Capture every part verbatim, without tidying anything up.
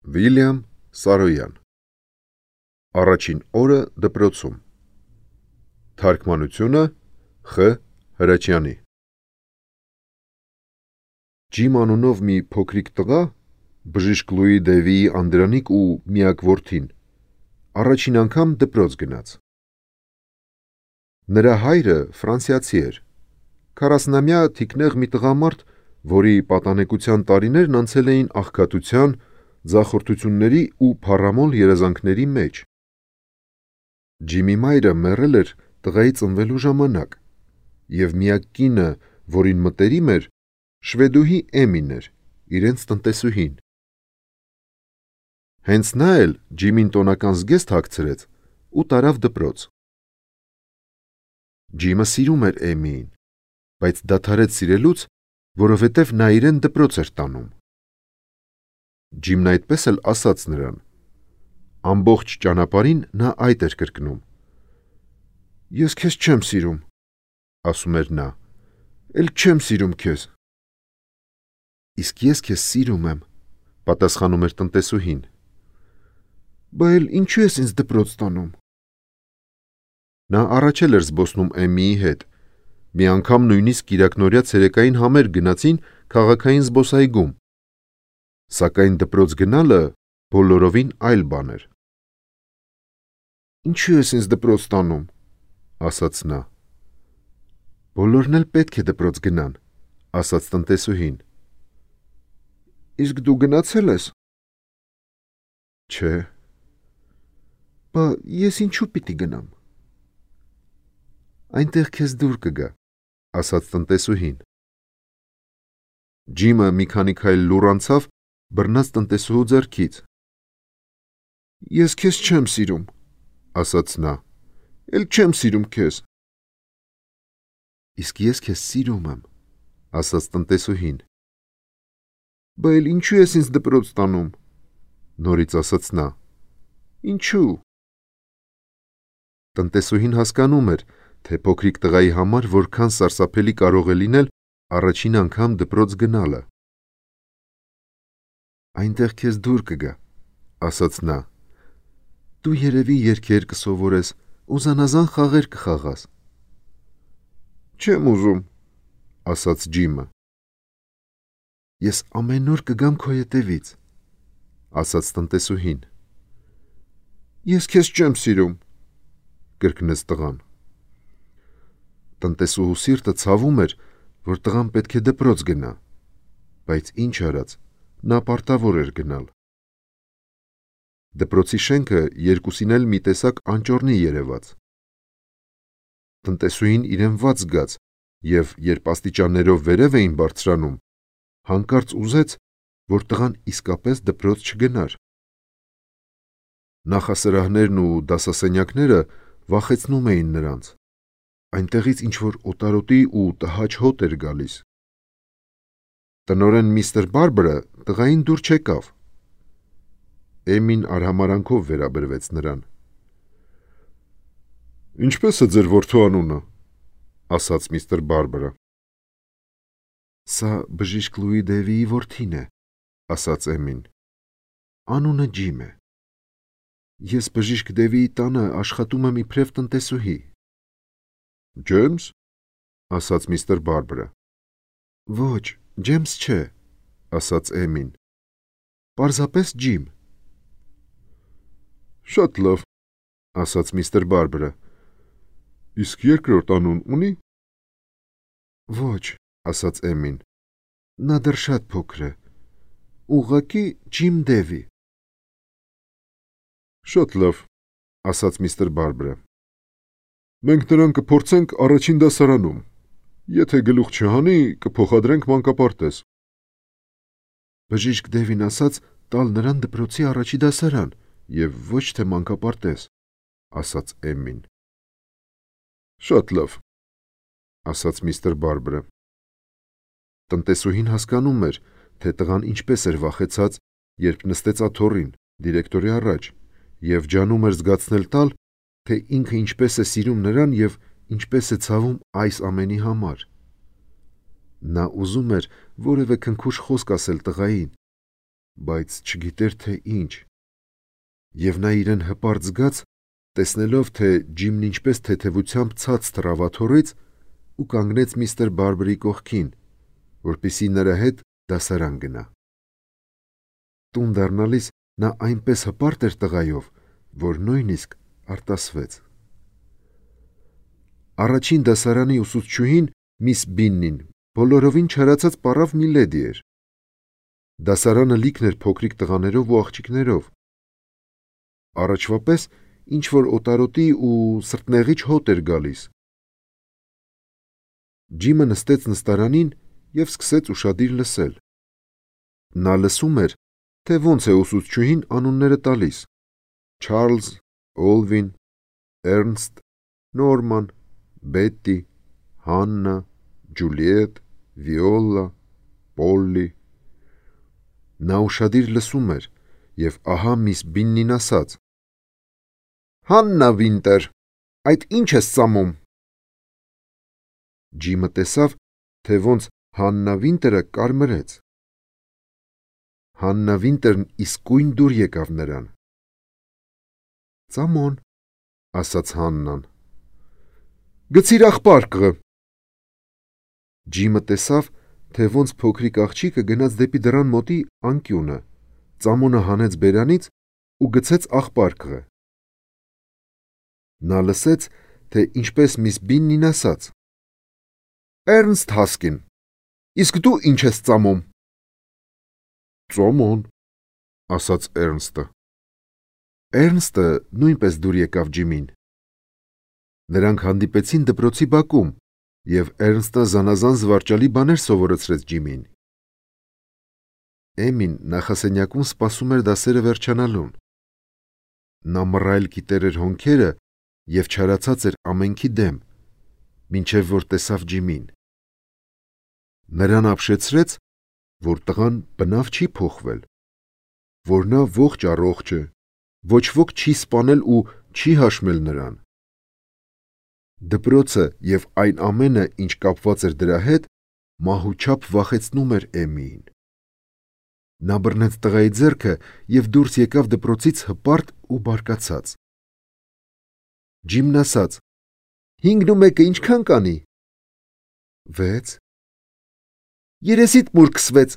Վիլյամ Սարոյան Առաջին օրը դպրոցում Թարգմանությունը Խ. Հրաչյանի Ջիմ անունով մի փոքրիկ տղա, բժիշկ Լուի Դեվիի անդրանիկ ու միակ որդին, առաջին անգամ դպրոց գնաց։ Նրա հայրը ֆրանսիացի էր, քառասնամյա թիկնեղ մի տղամարդ, որի պատանեկության տարիներն անցել էին աղքատության, ձախորդությունների ու փառամոլ երազանքների մեջ։ Ջիմի մայրը մեռել էր տղայի ծնվելու ժամանակ, և միակ կինը, որին մտերիմ էր, շվեդուհի Էմին էր, իրենց տնտեսուհին։ Հենց նա էլ Ջիմին տոնական զգեստ հագցրեց ու տարավ դպրոց։ Ջիմը սիրում էր Էմիին, բայց դադարեց սիրելուց, որովհետև նա իրեն դպրոց էր տանում։ Ջիմն այդպես էլ ասաց նրան։ Ամբողջ ճանապարհին նա այդ էր կրկնում. «Ես քեզ չեմ սիրում», ասում էր նա, «էլ չեմ սիրում քեզ»։ «Իսկ ես քեզ սիրում եմ», պատասխանում էր տնտեսուհին։ «Բա էլ ինչու ես ինձ դպրոց տանում»։ Նա առաջ էլ էր զբոսնում Էմիի հետ, մի անգամ նույնիսկ կիրակնօրյա ցերեկային համերգ գնացին քաղաքային զբոսայգում, սակայն դպրոց գնալը բոլորովին այլ բան էր։ «Ինչու ես ինձ դպրոց տանում», ասաց նա։ «Բոլորն էլ պետք է դպրոց գնան», ասաց տնտեսուհին։ «Իսկ դու գնացե՞լ ես»։ «Չէ»։ «Բա ես ինչու պիտի գնամ»։ «Այնտեղ քեզ դուր կգա», ասաց տնտեսուհին։ Ջիմը մի քանի քայլ լուռ անցավ, բռնած տնտեսուհու ձեռքից։ «Ես քեզ չեմ սիրում», ասաց նա, «էլ չեմ սիրում քեզ»։ «Իսկ ես քեզ սիրում եմ», ասաց տնտեսուհին։ «Բա էլ ինչու ես ինձ դպրոց տանում»։ Նորից ասաց նա։ «Ինչու»։ Տնտեսուհին հասկանում էր, թե փոքրիկ տղայի համար որքան սարսափելի կարող է լինել առաջին անգամ դպրոց գնալը։ «Այնտեղ քեզ դուր կգա», ասաց նա։ «Դու երևի երգեր կսովորես ու զանազան խաղեր կխաղաս»։ «Չեմ ուզում», ասաց Ջիմը։ «Ես ամեն օր կգամ քո ետևից», ասաց տնտեսուհին։ «Ես քեզ չեմ սիրում», կրկնեց տղան։ Տնտեսուհու սիրտը ցավում էր, որ տղան պետք է դպրոց գնա, բայց ինչ արած, նա պարտավոր էր գնալ։ Դպրոցի շենքը երկուսին էլ մի տեսակ անճոռնի երևաց։ Տնտեսուհին իրեն վատ զգաց և, երբ աստիճաններով վերև էին բարձրանում, հանկարծ ուզեց, որ տղան իսկապես դպրոց չգնար։ Նախասրահներն ու դասասենյակները վախեցնում էին նրանց, այնտեղից ինչ-որ օտարոտի ու տհաճ հոտ էր գալիս։ Տնօրեն միստր Բարբրը տղային դուր չեկավ։ Էմին արհամարհանքով վերաբերվեց նրան։ «Ինչպե՞ս է ձեր որդու անունը», ասաց միստր Բարբրը։ «Սա բժիշկ Լուի Դեվիի որդին է», ասաց Էմին։ «Անունը Ջիմ է։ Ես բժիշկ Դեվիի տանը աշխատում եմ իբրև տնտեսուհի»։ «Ջեյմս», ասաց միստր Բարբրը։ «Ոչ, Ջեյմս չէ», ասաց Էմին։ «Պարզապես Ջիմ»։ «Շատ լավ», ասաց միստր Բարբրը։ «Իսկ երկրորդ անուն ունի»։ «Ոչ», ասաց Էմին, «նա դեռ շատ փոքր է, ուղղակի Ջիմ Դևի»։ «Շատ լավ», ասաց միստր Բարբրը։ «Մենք նրան կփորձենք առաջին դասարանում, եթե գլուխ չհանի, կփոխադրենք մանկապարտեզ»։ «Բժիշկ Դևին ասաց տալ նրան դպրոցի առաջի դասարան և ոչ թե մանկապարտեզ», ասաց Էմին։ «Շատ լավ», ասաց միստր Բարբրը։ Տնտեսուհին հասկանում էր, թե տղան ինչպես էր վախեցած, երբ նստեց աթոռին, դիրեկտորի առաջ, և ջանում էր զգացնել տալ, թե ինքը ինչպես է սիրում նրան և ինչպես է ցավում այս ամենի համար։ Նա ուզում էր որևէ քնքուշ խոսք ասել տղային, բայց չգիտեր թե ինչ, և նա իրեն հպարտ զգաց, տեսնելով, թե Ջիմն ինչպես թեթևությամբ ցած թռավ աթոռից ու կանգնեց միստր Բարբերի կողքին, որպեսզի նրա հետ դասարան գնա։ Տուն դառնալիս նա այնպես հպարտ էր տղայով, որ նույնիսկ արտասվեց։ Առաջին դասարանի ուսուցչուհին միս Բիննին բոլորովին չարացած պառավ մի լեդի էր։ Դասարանը լիքն էր փոքրիկ տղաներով ու աղջիկներով։ Առաջվա պես ինչ-որ օտարոտի ու սրտնեղիչ հոտ էր գալիս։ Ջիմը նստեց նստարանին և սկսեց ուշադիր լսել։ Նա լսում էր, թե ոնց է ուսուցչուհին անունները տալիս. Չարլզ, Օլվին, Էրնստ, Նորման, Բետտի, Հաննա, Ջուլիետ, Վիոլլա, Պոլլի։ Նա ուշադիր լսում էր, և ահա միս Բիննին ասաց. Հաննա Վինտեր, այդ ի՞նչ ես ծամում։ Ջիմը տեսավ, թե ոնց Հաննա Վինտերը կարմրեց։ Հաննա Վինտերն իսկույն դուր եկավ նրան։ Ծամոն, ասաց Հաննան։ Գցիր աղբարկը։ Ջիմը տեսավ, թե ոնց փոքրիկ աղջիկը գնաց դեպի դռան մոտի անկյունը, ծամոնը հանեց բերանից ու գցեց աղբարկը։ Նա լսեց, թե ինչպես միս Բիննին ասաց. Էրնստ Հասկին, իսկ դու ինչ ես ծամում։ Ծամոն, ասաց Էրնստը։ Էրնստը նույնպես դուր եկավ Ջիմին։ Նրանք հանդիպեցին դպրոցի բակում, և Էրնստը զանազան զվարճալի բաներ սովորեցրեց Ջիմին։ Էմին նախասենյակում սպասում էր դասերը վերջանալուն։ Նա մռայլ կիտեր էր հոնքերը և չարացած էր ամենքի դեմ, մինչև որ տեսավ Ջիմին։ Նրան ապշեցրեց, որ տղան բնավ չի փոխվել, որ նա ողջ առողջ է, ոչ ոք չի սպանել ու չի հաշմել նրան։ Դպրոցը և այն ամենը, ինչ կապված էր դրա հետ, մահուչափ վախեցնում էր Էմիին։ Նա բռնեց տղայի ձեռքը և դուրս եկավ դպրոցից հպարտ ու բարկացած։ Ջիմն ասաց. Հինգն ու մեկը ինչքան կանի։ Վեց։ Երեսիդ մուր քսվեց։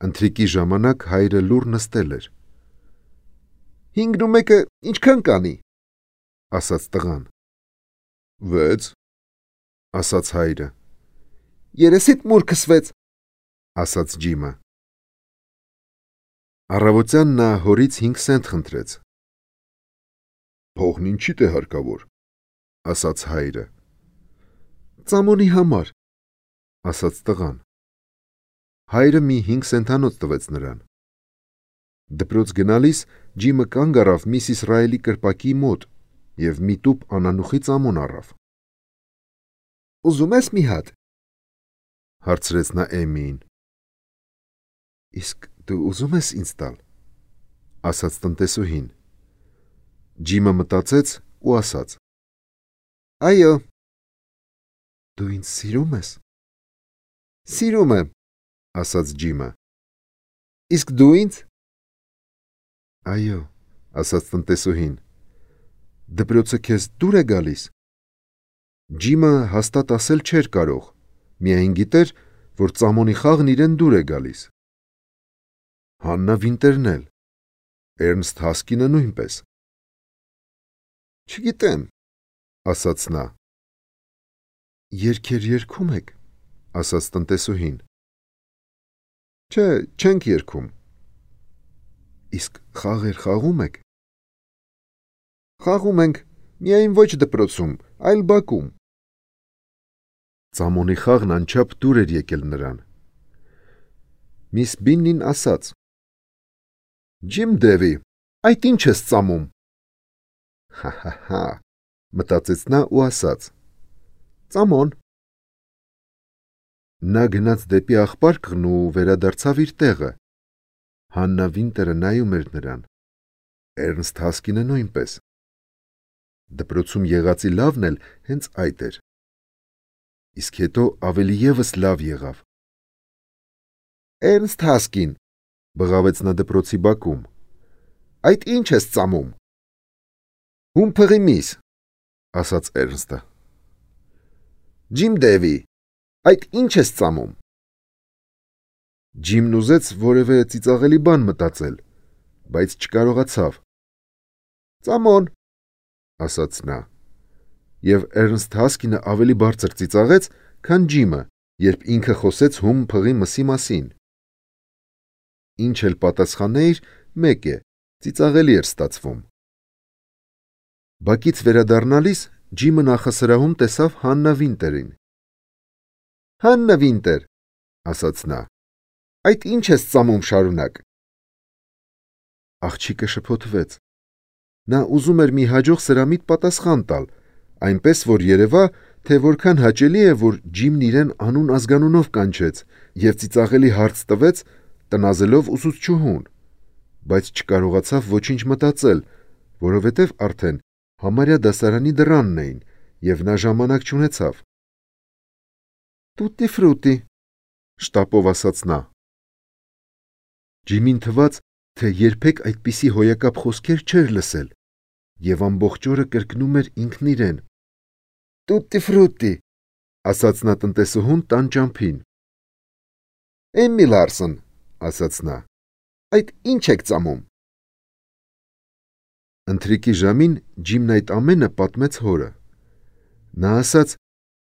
Ընթրիքի ժամանակ հայրը լուռ նստել էր։ Հինգն ու մեկը ինչքան կանի, ասաց տղան։ Վեց, ասաց հայրը։ Երեսիդ մուր քսվեց, ասաց Ջիմը։ Առավոտյան նա հորից հինգ սենտ խնդրեց։ Փողն ինչիդ է հարկավոր, ասաց հայրը։ Ծամոնի համար, ասաց տղան։ Հայրը մի հինգ սենթանոց տվեց նրան։ Դպրոց գնալիս Ջիմը կանգ առավ միս Իսրայելի կրպակի մոտ և մի տուփ անանուխի ծամոն առավ։ Ուզում ես մի հատ, հարցրեց նա Էմիին։ Իսկ դու ուզում ես ինձ տալ, ասաց տնտեսուհին։ Ջիմը մտածեց ու ասաց. Այո։ Դու ինձ սիրում ես։ Սիրում եմ, ասաց Ջիմը։ Իսկ դու ինձ։ Այո, ասաց տնտեսուհին։ Դպրոցը քեզ դուր է գալիս։ Ջիմը հաստատ ասել չէր կարող, միայն գիտեր, որ ծամոնի խաղն իրեն դուր է գալիս։ Հաննա Վինտերն էլ, Էրնստ Հասկինը նույնպես։ Չգիտեմ, ասաց նա։ Երգեր երգում եք, ասաց տնտեսուհին։ Չէ, չենք երգում։ Իսկ խաղեր խաղում եք։ Խաղում ենք, միայն ոչ դպրոցում, այլ բակում։ Ծամոնի խաղն անչափ դուր էր եկել նրան։ Միս Բիննին ասաց. Ջիմ Դևի, այդ ինչ ես ծամում։ Հա-հա-հա, մտածեց նա ու ասաց. Ծամոն։ Նա գնաց դեպի աղբարկն ու վերադարձավ իր տեղը։ Հաննա Վինտերը նայում էր նրան։ Էրնստ Հասկինը նույնպես։ Դպրոցում եղածի լավն էլ հենց այդ էր։ Իսկ հետո ավելի ևս լավ եղավ։ Էրնստ Հասկին, բղավեց նա դպրոցի բակում։ Այդ ինչ ես ծամում։ Հում փղի միս, ասաց Էրնստը։ Ջիմ Դևի, այդ ինչ ես ծամում։ Ջիմն ուզեց որևէ ծիծաղելի բան մտածել, բայց չկարողացավ։ Ծամոն, ասաց նա, եւ Էրնստ Հասկինը ավելի բարձր ծիծաղեց, քան Ջիմը, երբ ինքը խոսեց հում փղի մսի մասին։ Ինչ էլ պատասխանեիր, մեկ է, ծիծաղելի էր ստացվում։ Բակից վերադառնալիս Ջիմը նախասրահում տեսավ Հաննա Վինտերին։ Հաննա Վինտեր, ասաց նա, այդ ինչ ես ծամում շարունակ։ Աղջիկը շփոթվեց։ Նա ուզում էր մի հաջող սրամիտ պատասխան տալ, այնպես որ երևա, թե որքան հաճելի է, որ Ջիմն իրեն անուն ազգանունով կանչեց եւ ծիծաղելի հարց տվեց, տնազելով ուսուցչուհուն, բայց չկարողացավ ոչինչ մտածել, որովհետև արդեն համարյա դասարանի դռանն էին եւ նա ժամանակ չունեցավ։ Տուտի ֆրուտի, շտապով ասաց նա։ Ջիմին թվաց, թե երբեք այդպիսի հոյակապ խոսքեր չէր լսել եւ ամբողջ օրը կրկնում էր ինքն իրեն։ Տուտի ֆրուտի, ասաց նա տնտեսուհուն տան ճամփին։ Էմի Լարսոն, ասաց նա, այդ ինչ եք ծամում։ Ընթրիքի ժամին Ջիմն այդ ամենը պատմեց հորը։ Նա ասաց.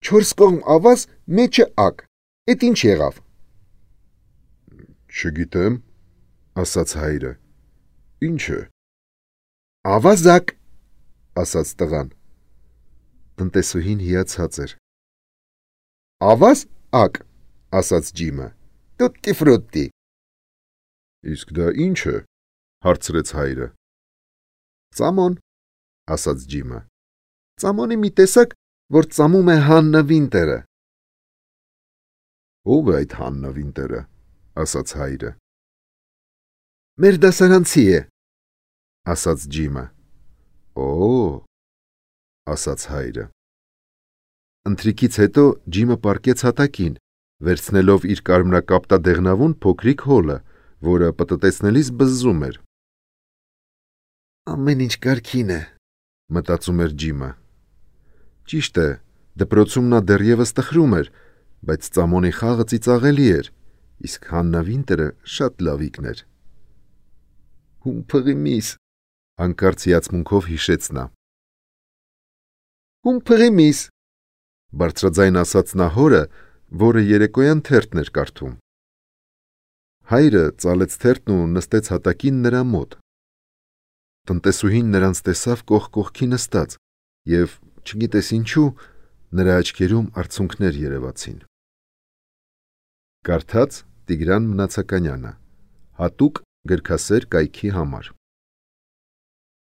«Չորս կողմ ավազ, մեջը ակ, էդ ինչ եղավ»։ Չգիտեմ, ասաց հայրը։ Ինչ է։ Ավազակ, ասաց տղան։ Տնտեսուհին հիացած էր։ Ավազ ակ, ասաց Ջիմը։ Տուտի ֆրուտի։ Իսկ դա ինչ է, հարցրեց հայրը։ Ծամոն, ասաց Ջիմը։ Ծամոնի մի տեսակ, որ ծամում է Հաննա Վինտերը։ Ո՞վ է այդ Հաննա Վինտերը, ասաց հայրը։ Մեր դասարանցի է, ասաց Ջիմը։ Օ, ասաց հայրը։ Ընթրիքից հետո Ջիմը պառկեց հատակին, վերցնելով իր կարմրակապտադեղնավուն փոքրիկ հոլը, որը պտտեցնելիս բզզում էր։ Ամեն ինչ կարգին է, մտածում էր Ջիմը։ Ճիշտ է, դպրոցում նա դեռևս տխրում էր, բայց ծամոնի խաղը ծիծաղելի էր, իսկ Հաննա Վինտերը շատ լավիկն էր։ Հում փղի միս, հանկարծ հիացմունքով հիշեց նա։ Հում փղի միս, բարձրաձայն ասաց նա հորը, որը երեկոյան թերթն էր կարդում։ Հայրը ծալեց թերթն ու նստեց հատակին նրա մոտ։ Տնտեսուհին նրանց տեսավ կողք կողքի նստած եւ, չգիտես ինչու, նրա աչքերում արցունքներ երևացին։ Կարդաց Տիգրան Մնացականյանը, հատուկ գրքասեր կայքի համար։